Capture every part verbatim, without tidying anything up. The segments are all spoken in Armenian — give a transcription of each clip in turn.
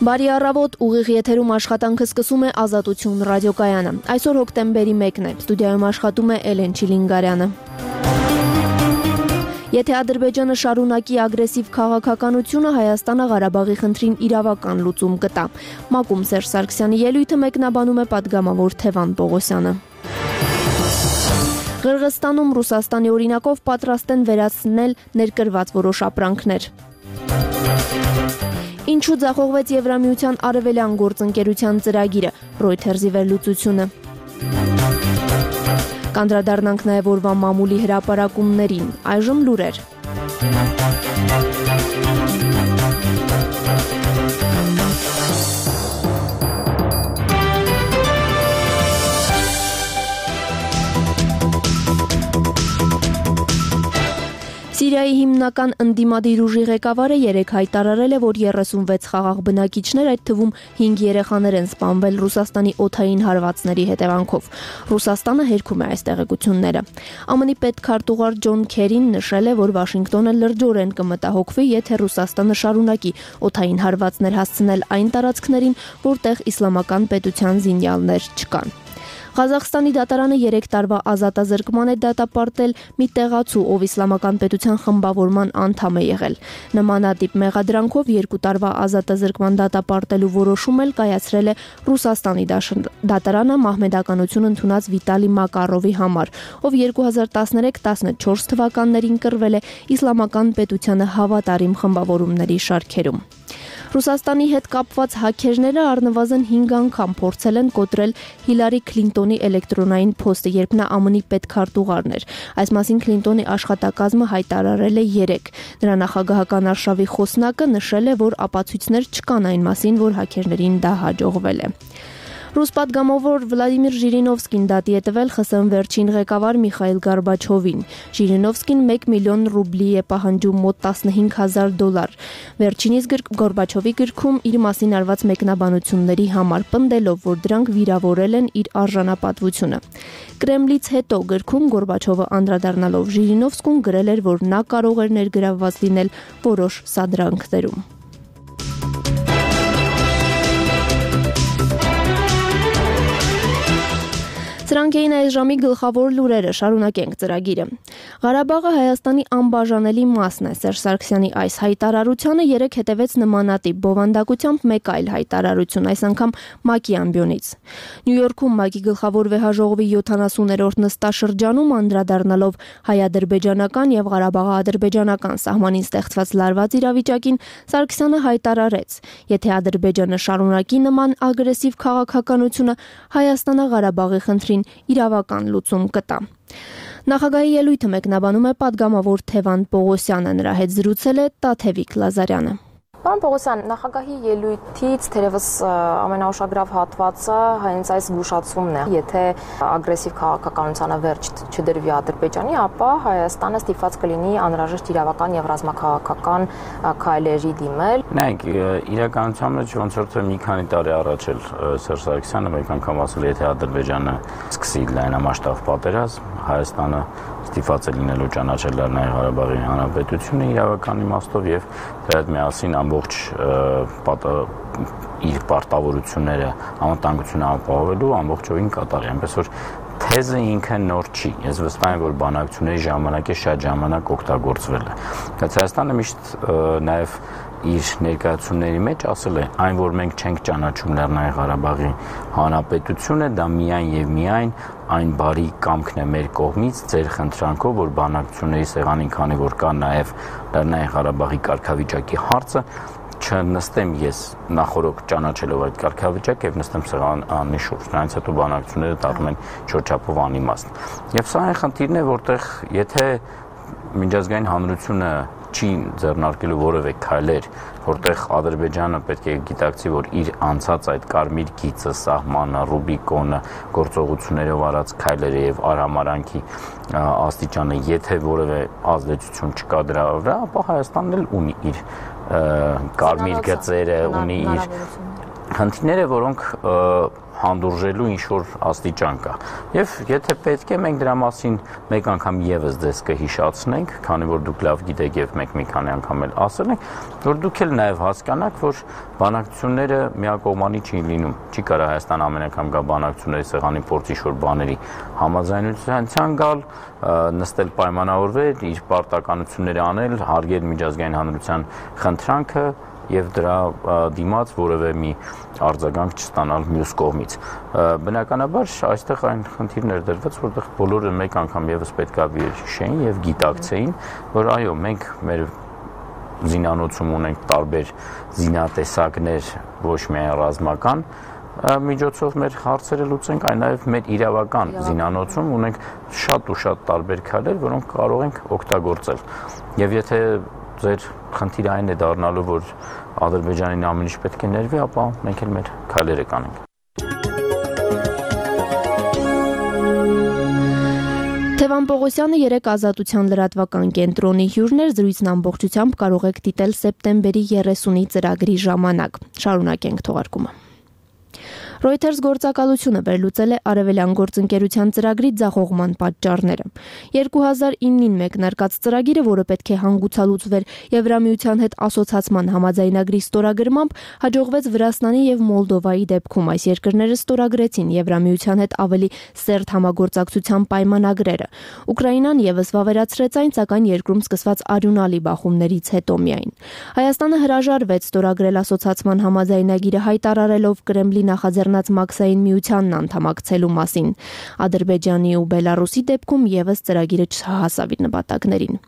Բարի առավոտ, ուղիղ եթերում աշխատանքը սկսում է Ազատություն ռադիոկայանը։ Այսօր հոկտեմբերի մեկն է, ստուդիայում աշխատում է Էլեն Չիլինգարյանը։ Եթե Ադրբեջանը շարունակի ագրեսիվ քաղաքականությունը, Հայաստանը Ղարաբաղի խնդրին իրավական լուծում կտա։ ՄԱԿ-ում Սերժ Սարգսյանի ելույթը մեկնաբանում է պատգամավոր Թևան Պողոսյանը։ Ղրղըզստանում Ռուսաստանի օրինակով պատրաստ են վերացնել ներկրված որոշ ապրանքներ։ Ինչու ձախողվեց Եվրամիության արևելյան գործընկերության ծրագիրը, Reuters-ի վերլուծությունը։ Կանդրադառնանք նաև օրվա մամուլի հրապարակումներին, այժմ լուրեր։ Սիրիայի հիմնական ընդդիմադիր ուժի ղեկավարը երեկ հայտարարել է, որ երեսունվեց խաղաղ բնակիչներ, այդ թվում հինգ երեխաներ են սպանվել Ռուսաստանի օդային հարվածների հետևանքով։ Ռուսաստանը հերքում է այս տեղեկությունները։ ԱՄՆ-ի պետքարտուղար Ջոն Քերին նշել է, որ Վաշինգտոնը լրջորեն կմտահոգվի, եթե Ռուսաստանը շարունակի օդային հարվածներ հասցնել այն տարածքներին, որտեղ իսլամական պետության զինյալներ չկան։ Ղազախստանի դատարանը երեք տարվա ազատազրկման է դատապարտել մի տեղացու, ով իսլամական պետության խմբավորման անդամ է եղել։ Նմանատիպ մեղադրանքով երկու տարվա ազատազրկման դատապարտելու որոշում էլ կայացրել է Ռուսաստանի դատարանը մահմեդականություն ընդունած Վիտալի Մակարովի համար, ով երկու հազար տասներեք տասնչորս թվականներին կռվել է իսլամական պետությանը հավատարիմ խմբավորումների շարքերում։ Ռուսաստանի հետ կապված հաքերները առնվազն հինգ անգամ փորձել են կոտրել Հիլարի Քլինտոնի էլեկտրոնային փոստը, երբ նա ԱՄՆ-ի պետքարտուղարն էր։ Այս մասին Քլինտոնի աշխատակազմը հայտարարել է երեկ։ Նրա նախագահական արշավի խոսնակը նշել է, որ ապացույցներ չկան այն մասին, որ հաքերներին դա հաջողվել է։ Ռուս պատգամավոր Վլադիմիր Ժիրինովսկին դատի է տվել ԽՍՀՄ վերջին ղեկավար Միխայիլ Գորբաչովին։ Ժիրինովսկին մեկ միլիոն ռուբլի է պահանջում, մոտ տասնհինգ հազար դոլար։ Վերջինիս Գորբաչովի գրքում իր մասին արված մեկնաբանությունների համար, պնդելով, որ դրանք վիրավորել են իր արժանապատվությունը։ Կրեմլից հետո գրքում Գորբաչովը անդրադառնալով Ժիրինովսկուն գրել էր, որ նա կարող էր ներգրավված լինել որոշ սադրանքներում։ Սրանք էին այս ժամի գլխավոր լուրերը, շարունակենք ծրագիրը։ Ղարաբաղը Հայաստանի անբաժանելի մասն է։ Սերժ Սարգսյանի այս հայտարարությանը երեք հետևեց նմանատիպ բովանդակությամբ մեկ այլ հայտարարություն, այս անգամ ՄԱԿ-ի ամբիոնից։ Նյու Յորքում ՄԱԿ-ի գլխավոր վեհաժողովի յոթանասուներորդ նստաշրջանում անդրադառնալով հայ-ադրբեջանական եւ Ղարաբաղա-ադրբեջանական սահմանին ստեղծված լարված իրավիճակին, Սարգսյանը հայտարարեց. եթե Ադրբեջանը շարունակի նման ագրեսիվ քաղաքականությունը, Հայաստանը Ղարաբաղի խնդրին իրավական լուծում կտա։ Նախագահի ելույթը մեկնաբանում է պատգամավոր Թևան Պողոսյանը, նրա հետ զրուցել է Տաթևիկ Լազարյանը։ Պարոն Պողոսյան, նախագահի ելույթից թերևս ամենաուշագրավ հատվածը հենց այս զգուշացումն է։ Եթե ագրեսիվ քաղաքականությանը վերջ չդրվի Ադրբեջանի, ապա Հայաստանը ստիպված կլինի անհրաժեշտ իրավական եւ ռազմաքաղաքական քայլերի դիմել։ Նայեք, իրականության մեջ ոնց որ թե մի քանի տարի առաջ էլ Սերժ Սարգսյանը մեկ անգամ ասել է, եթե Ադրբեջանը սկսի լայնամասշտաբ պատերազմ, Հայաստանը ստիպված է լինելու ճանաչել Լեռնային Ղարաբաղի Հանրապետությունը իրավական իմաստով եւ դրա հետ միասին ամբողջ իր պարտավորությունները անվտանգությունը ապահովելու ամբողջովին կատարի, այնպես որ թեզը ինքը նոր չի։ Ես վստահ եմ, որ բանակցությունների ժամանակ է շատ ժամանակ օգտագործվել է։ Բայց Հայաստանը միշտ նաեւ իր ներկայացումների մեջ ասել է, այն որ մենք չենք ճանաչում Լեռնային Ղարաբաղի Հանրապետությունը, դա միայն եւ միայն այն բարի կամքն է մեր կողմից ձեր խնդրանքով, որ բանակցությունների սեղանին, քանի որ կա նաեւ Լեռնային Ղարաբաղի կարգավիճակի հարցը, չնստեմ ես նախորոք ճանաչելով այդ կարգավիճակը եւ նստեմ սեղանի շուրջ, նրանց հետո բանակցությունները դառնում են չորչափով անիմաստ։ Եվ սա այն խնդիրն է, որտեղ եթե միջազգային հանրությունը չի ձեռնարկելու որևէ քայլեր, որտեղ Ադրբեջանը պետք է գիտակցի, որ իր անցած այդ կարմիր գիծը, սահմանը, Ռուբիկոնը, գործողություններով արած քայլերը եւ արհամարանքի աստիճանը, եթե որևէ ազդեցություն չկա դրա վրա, ապա Հայաստանն էլ ունի իր կարմիր գծերը, ունի իր խնդիրները, որոնք հանդուրժելու ինչ-որ աստիճան կա։ Եվ եթե պետք է, մենք դրա մասին մեկ անգամ եւս ձեզ կհիշացնենք, քանի որ դուք լավ գիտեք եւ մենք մի քանի անգամ էլ ասել ենք, որ դուք էլ նաեւ հասկանաք, որ բանակցությունները միակողմանի չի լինում։ Չի կարա Հայաստան ամեն անգամ գա բանակցությունների սեղանի փորձ ինչ-որ բաների համաձայնության գալ, նստել պայմանավորվել, իր պարտականությունները անել, հարգել միջազգային հանրության խնդրանքը եւ դրա դիմաց որևէ մի արձագանք չստանալ մյուս կողմից։ Բնականաբար այստեղ այն խնդիրներ դրվեց, որտեղ բոլորը մեկ անգամ եւս պետքա հիշեին եւ գիտակցեին, որ այո, մենք մեր զինանոցում ունենք տարբեր զինատեսակներ, ոչ միայն ռազմական միջոցով մեր հարցերը լուծենք, այլ նաեւ մեր իրավական զինանոցում ունենք շատ ու շատ տարբեր քայլեր, որոնք կարող ենք օգտագործել։ Եվ եթե ձեր խնդիրը այն է դառնալու, որ Ադրբեջանին ամեն ինչ պետք է ներվի, ապա մենք էլ մեր քայլերը կանենք։ Թևան Պողոսյանը երեք ազատության լրատվական կենտրոնի հյուրն էր, զրույցն ամբողջությամբ կարող եք դիտել սեպտեմբերի երեսունի ծրագրի ժամանակ։ Շարունակենք թողարկումը։ Reuters գործակալությունը վերլուծել է Արևելյան գործընկերության ծրագրի ձախողման պատճառները։ երկու հազար իննին մեկնարկած ծրագիրը, որը պետք է հանգուցալուծվեր Եվրամիության հետ ասոցացման համաձայնագրի ստորագրմամբ, հաջողվեց Վրաստանի եւ Մոլդովայի դեպքում։ Այս երկրները ստորագրեցին Եվրամիության հետ ավելի սերտ համագործակցության պայմանագրերը։ Ուկրաինան եւս վավերացրեց այն, սակայն երկրում սկսված արյունալի բախումներից հետո միայն։ Հայաստանը հրաժարվեց ստորագրել ասոցացման համաձայնագիրը, հայտարարելով Կրեմլի նախաձեռնած Մաքսային միությանն անդամակցելու մասին։ Ադրբեջանի ու Բելարուսի դեպքում եւս ծրագիրը չհասավ իր նպատակներին։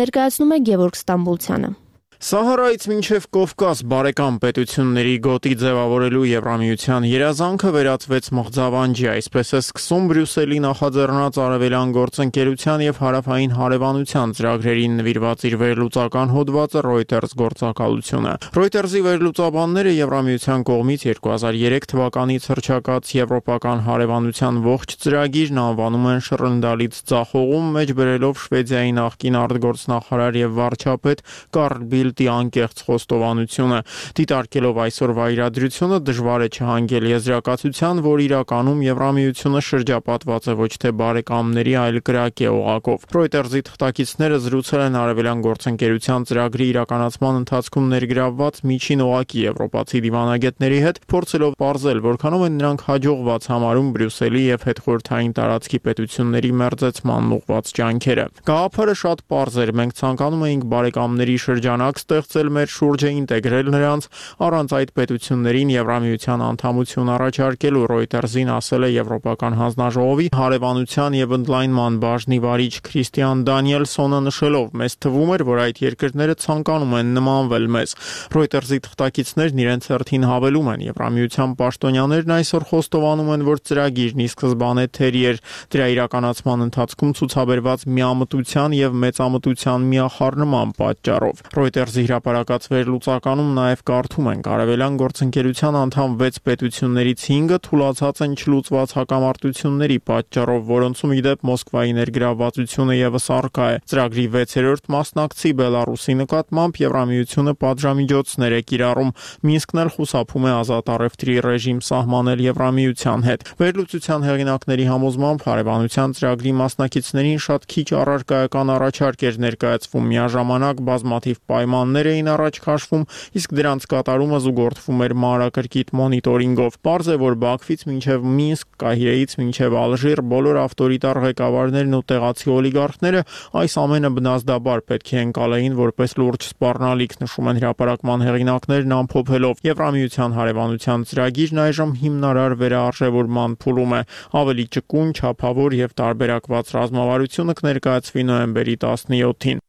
Ներկայացնում է Գևորգ Ստամբուլցյանը։ Սահարայից մինչև Կովկաս բարեկամ պետությունների գոտի ձևավորելու Եվրամիության երազանքը վերածվեց մղձավանջի, այսպես է սկսում Բրյուսելի նախաձեռնած Արևելյան գործընկերության եւ հարավային հարևանության ծրագրերին նվիրված իր վերլուծական հոդվածը Reuters գործակալությունը։ Reuters-ի վերլուծաբանները Եվրամիության կողմից երկու հազար երեք թվականից հռչակած Եվրոպական հարևանության ողջ ծրագիրն անվանում են շռնդալից ձախողում, մեջ բերելով Շվեդիայի նախկին արտգործնախարար եւ վարչապետ Կարլ Բիլդի անկեղծ խոստովանությունը։ Դիտարկելով այսօրվա իրադրությունը դժվար է չհանգել եզրակացության, որ իրականում Եվրամիությունը շրջապատված է ոչ թե բարեկամների, այլ կրակե օղակով։ Reuters-ի թղթակիցները զրուցել են Արևելյան գործընկերության ծրագրի իրականացման ընթացքում ներգրավված միջին օղակի եվրոպացի դիվանագետների հետ, փորձելով պարզել, որքանով են նրանք հաջողված համարում Բրյուսելի եւ հետխորհրդային տարածքի պետությունների մերձեցման ուղղված ջանքերը։ Գաղափարը շատ պարզ էր, մենք ցանկանում էինք բարեկամների շրջանակ ստեղծել մեր շուրջը, ինտեգրել նրանց, առանց այդ պետություններին Եվրամիության անդամություն առաջարկելու, Reuters-ին ասել է Եվրոպական հանձնաժողովի հարևանության եւ ընդլայնման բաժնի վարիչ Քրիստիան Դանիելսոնը, նշելով. «Մեզ թվում էր, որ այդ երկրները ցանկանում են նմանվել մեզ»։ Reuters-ի թղթակիցներն իրենց հերթին հավելում են. Եվրամիության պաշտոնյաներն այսօր խոստովանում են, որ ծրագիրն ի սկզբանե թերի էր, դրա իրականացման ընթացքում ցուցաբերված միամտության եւ մեծամտության միախառնման պատճառով։ Reuters-ի հրապարակած վերլուծականում նաև կարդում ենք. Արևելյան գործընկերության անդամ վեց պետություններից հինգը թուլացած են չլուծված հակամարտությունների պատճառով, որոնցում ի դեպ Մոսկվայի ներգրավվածությունը եւս առկա է։ Ծրագրի վեցերորդ մասնակցի Բելարուսի նկատմամբ Եվրամիությունը պատժամիջոցներ է կիրառում։ Մինսկն էլ խուսափում է ազատ առևտրի ռեժիմ սահմանել Եվրամիության հետ։ Վերլուծության հեղինակների համոզմամբ հարևանության ծրագրի մասնակիցներին շատ քիչ առարկայական առաջարկ էր ներկայացվում, միաժամանակ բազմաթիվ պայմաններ էին առաջ քաշվում, իսկ դրանց կատարումը զուգորդվում էր մանրակրկիտ մոնիտորինգով։ Պարզ է, որ Բաքվից մինչև Մինսկ, Կահիրեից մինչև Ալժիր բոլոր ավտորիտար ղեկավարներն ու տեղացի օլիգարխները այս ամենը բնազդաբար պետք է ընկալեին որպես լուրջ սպառնալիք, նշում են հրապարակման հեղինակներն ամփոփելով։ Եվրամիության հարևանության ծրագիրն այժմ հիմնարար վերարժևորման փուլում է։ Ավելի ճկուն, չափավոր եւ տարբերակված ռազմավարությունը կներկայացվի նոյեմբերի տասնյոթին։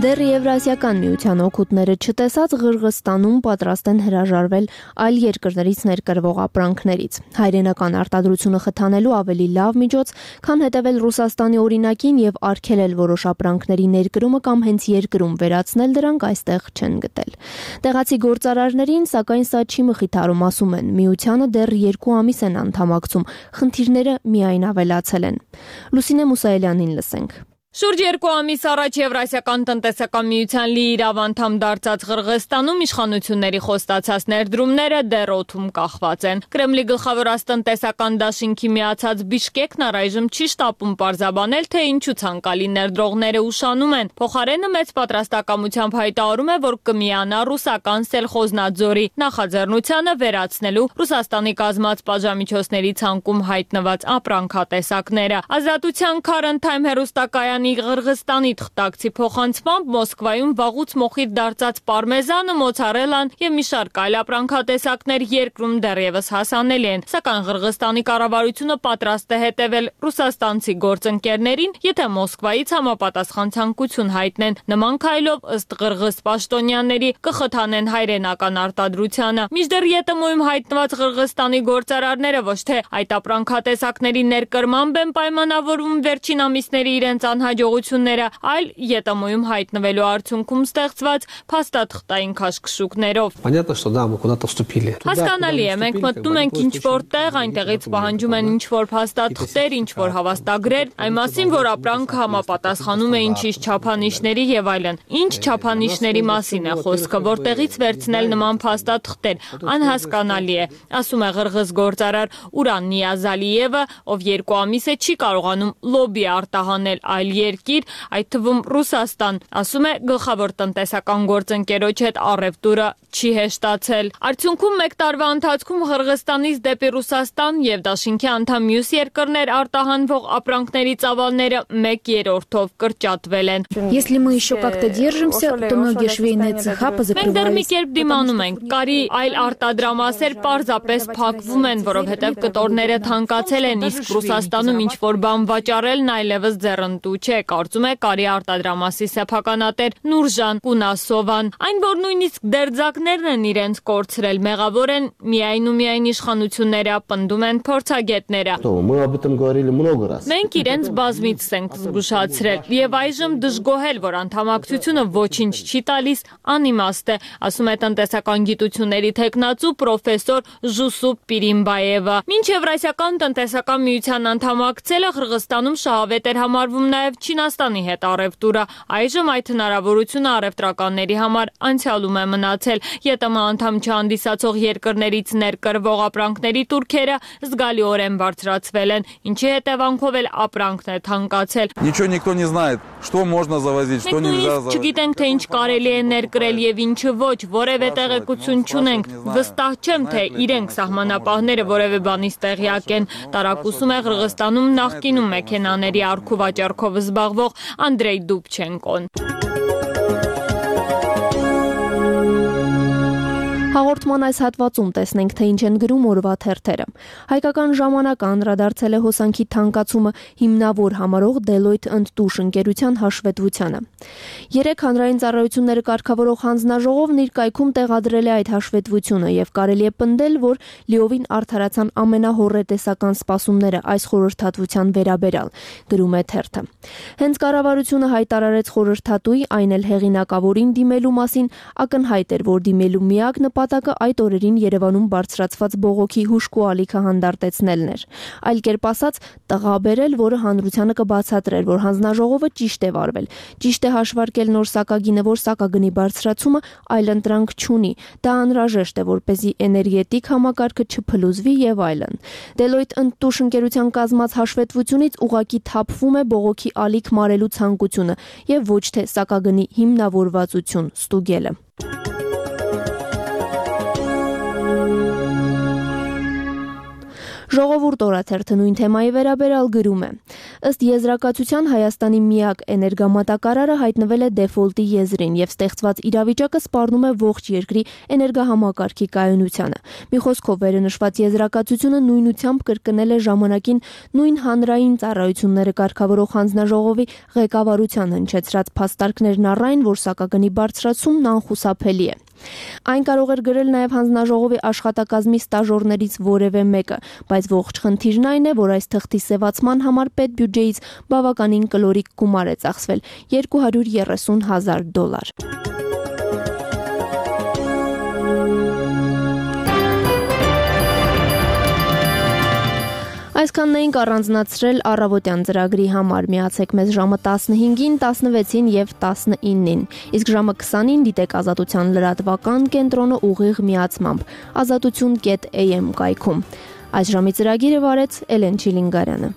Դեռ Եվրասիական միության օգուտները չտեսած Ղրղստանում պատրաստ են հրաժարվել այլ երկրներից ներկրվող ապրանքներից։ Հայրենական արտադրությունը խթանելու ավելի լավ միջոց, քան հետևել Ռուսաստանի օրինակին եւ արգելել որոշ ապրանքների ներկրումը կամ հենց երկրում վերացնել դրանք, այստեղ չեն գտել։ Տեղացի գործարարներին, սակայն սա չի մխիթարում, ասում են, միությանը դեռ երկու ամիս են անդամակցում, խնդիրները միայն ավելացել են։ Լուսինե Մուսայելյանին լսենք։ Շուրջ երկու ամիս առաջ Եվրասիական տնտեսական միության լիիրավ անդամ դարձած Ղրղստանում իշխանությունների խոստացած ներդրումները դեռ օդում կախված են։ Կրեմլի գլխավոր տնտեսական դաշինքի միացած Բիշկեկն առայժմ չի շտապում պարզաբանել, թե ինչու ցանկալի ներդրողները ուշանում են։ Փոխարենը մեծ պատրաստակամությամբ հայտարարում է, որ կմիանա ռուսական սելխոզնաձորի նախաձեռնությանը վերացնելու Ռուսաստանի կազմած պատժամիջոցների ցանկում հայտնված ապրանքատեսակները։ Ազատության Քարընթայմ հեռուստակայանի Ղրղստանի թղթակցի փոխանցմամբ Մոսկվայում վաղուց մոխիր դարձած պարմեզանը, մոցարելան եւ մի շարք այլ ապրանքատեսակներ երկրում դեռևս հասանելի են, սակայն Ղրղստանի կառավարությունը պատրաստ է հետևել ռուսաստանցի գործընկերներին, եթե Մոսկվայից համապատասխան ցանկություն հայտնեն։ Նման քայլով ըստ ղրղըզ պաշտոնյաների կխթանեն հայրենական արտադրությանը։ Մինչդեռ ԵՏՄ-ում հայտնված Ղրղստանի գործարարները ոչ թե այդ ապրանքատեսակների ներկրմամբ են պայմանավորվում վերջին ամիսների իրենց անհաջողությունները, այլ ԵՏՄ-ում հայտնվելու արդյունքում ստեղծված փաստաթղթային քաշքշուկներով։ Հասկանալի է, մենք մտնում ենք ինչ-որ տեղ, այնտեղից պահանջում են ինչ-որ փաստաթղթեր, ինչ-որ հավաստագրեր, այն մասին, որ ապրանքը համապատասխանում է ինչ-ինչ չափանիշների եւ այլն։ Ինչ չափանիշների մասին է խոսքը, որտեղից վերցնել նման փաստաթղթեր, անհասկանալի է, ասում է ղրղըզ գործարար Ուրան Նիազալիևը, ով երկու ամիս է չի կարողանում լոբի արտահանել այլ երկիր, այդ թվում Ռուսաստան, ասում է գլխավոր տնտեսական գործընկերոջ հետ առևտուրը չի հեշտացել։ Արդյունքում մեկ տարվա ընթացքում Ղրղստանից դեպի Ռուսաստան եւ դաշինքի անդամ մյուս երկրներ արտահանվող ապրանքների ծավալները մեկ երրորդով կրճատվել են։ Если мы еще как-то держимся, то многие շվейные цеха позакрывались։ Մենք դեռ մի կերպ դիմանում ենք։ Կարի այլ արտադրամասեր պարզապես փակվում են, որովհետեւ կտորները թանկացել են, իսկ Ռուսաստանում ինչ որ բան վաճառելն այլևս ձեռնտու չէ, կարծում է կարի արտադրամասի սեփականատեր Նուրժան Կունասովան։ Այն, որ նույնիսկ դերձակներն են իրենց կորցրել, մեղավոր են միայն ու միայն իշխանությունները, պնդում են փորձագետները։ Մենք իրենց բազմիցս ենք զգուշացրել եւ այժմ դժգոհել, որ անդամակցությունը ոչինչ չի տալիս, անիմաստ է, ասում է տնտեսական գիտությունների թեկնածու պրոֆեսոր Ժուսուպ Պիրիմբաևը։ Մինչ Եվրասիական տնտեսական միության անդամակցելը Ղրղստանում շահավետ էր համարվում նաև Չինաստանի հետ առևտուրը։ Այժմ այդ հնարավորությունը առևտրականների համար անցյալում է մնացել։ ԵՏՄ անդամ չհանդիսացող երկրներից ներկրվող ապրանքների տուրքերը զգալիորեն բարձրացվել են, ինչի հետևանքով էլ ապրանքն է թանկացել։ Ничего никто не знает, что можно завозить, что нельзя завозить։ Չգիտենք, թե ինչ կարելի է ներկրել եւ ինչը ոչ, որևէ տեղեկություն չունենք։ Վստահ չեմ, թե իրենք սահմանապահները որևէ բանից տեղյակ են։ Տարակուսում է Ղրղստանում նախկինում մեքենաների առքու վաճառքով զբաղվող Անդրեյ Դուբչենկոն։ Հաղորդման այս հատվածում տեսնենք, թե ինչ են գրում օրվա թերթերը։ Հայկական ժամանակը անդրադարձել է հոսանքի թանկացումը հիմնավոր համարող Deloitte ընդտուշ ընկերության հաշվետվությանը։ Երեք հանրային ծառայությունները կարգավորող հանձնաժողովն իր կայքում տեղադրել է այդ հաշվետվությունը եւ կարելի է պնդել, որ լիովին արդարացան ամենահոռետեսական սպասումները այս խորհրդատվության վերաբերյալ, գրում է թերթը։ Հենց կառավարությունը հայտարարեց խորհրդատուի, այն էլ հեղինակավորին դիմելու մասին, ակնհայտ էր, որ դիմելու միակ նպատակը այդ օրերին Երևանում բարձրացված բողոքի հուշկու ալիքը հանդարտեցնելն էր։ Այլ կերպ ասած, տղա բերել, որը հանրությանը կբացատրեր, որ հանձնաժողովը ճիշտ է վարվել, ճիշտ է հաշվարկել նոր սակագինը, որ սակագնի բարձրացումը այլընտրանք չունի։ Դա անհրաժեշտ է, որպեսզի էներգետիկ համակարգը չփլուզվի եւ այլն։ Deloitte ընդտուշ ընկերության կազմած հաշվետվությունից ուղղակի թափվում է բողոքի ալիք մարելու ցանկությունը եւ ոչ թե սակագնի հիմնավորվածություն ստուգելը։ Ժողովուրդ օրաթերթը նույն թեմայի վերաբերյալ գրում է. ըստ եզրակացության Հայաստանի միակ էներգամատակարարը հայտնվել է դեֆոլտի եզրին եւ ստեղծված իրավիճակը սպառնում է ողջ երկրի էներգահամակարգի կայունությանը։ Մի խոսքով վերնշված եզրակացությունը նույնությամբ կրկնել է ժամանակին նույն հանրային ծառայությունները կարգավորող հանձնաժողովի ղեկավարության հնչեցրած փաստարկներն առայն, որ սակագնի բարձրացումն անխուսափելի է։ Այն կարող էր գրել նաև հանձնաժողովի աշխատակազմի ստաժորներից որևէ մեկը, բայց ողջ խնդիրն այն է, որ այս թղթի սևացման համար պետբյուջեից բավականին կլորիկ գումար է ծախսվել՝ երկու հարյուր երեսուն հազար դոլար։ Այսքանն էինք առանձնացրել առավոտյան ծրագրի համար։ Միացեք մեզ ժամը տասնհինգին, տասնվեցին եւ տասնինին։ Իսկ ժամը քսանին դիտեք Ազատության լրատվական կենտրոնը ուղիղ միացմամբ ազատություն կետ էյ էմ կայքում։ Այս ժամի ծրագիրը վարեց Էլեն Չիլինգարյանը։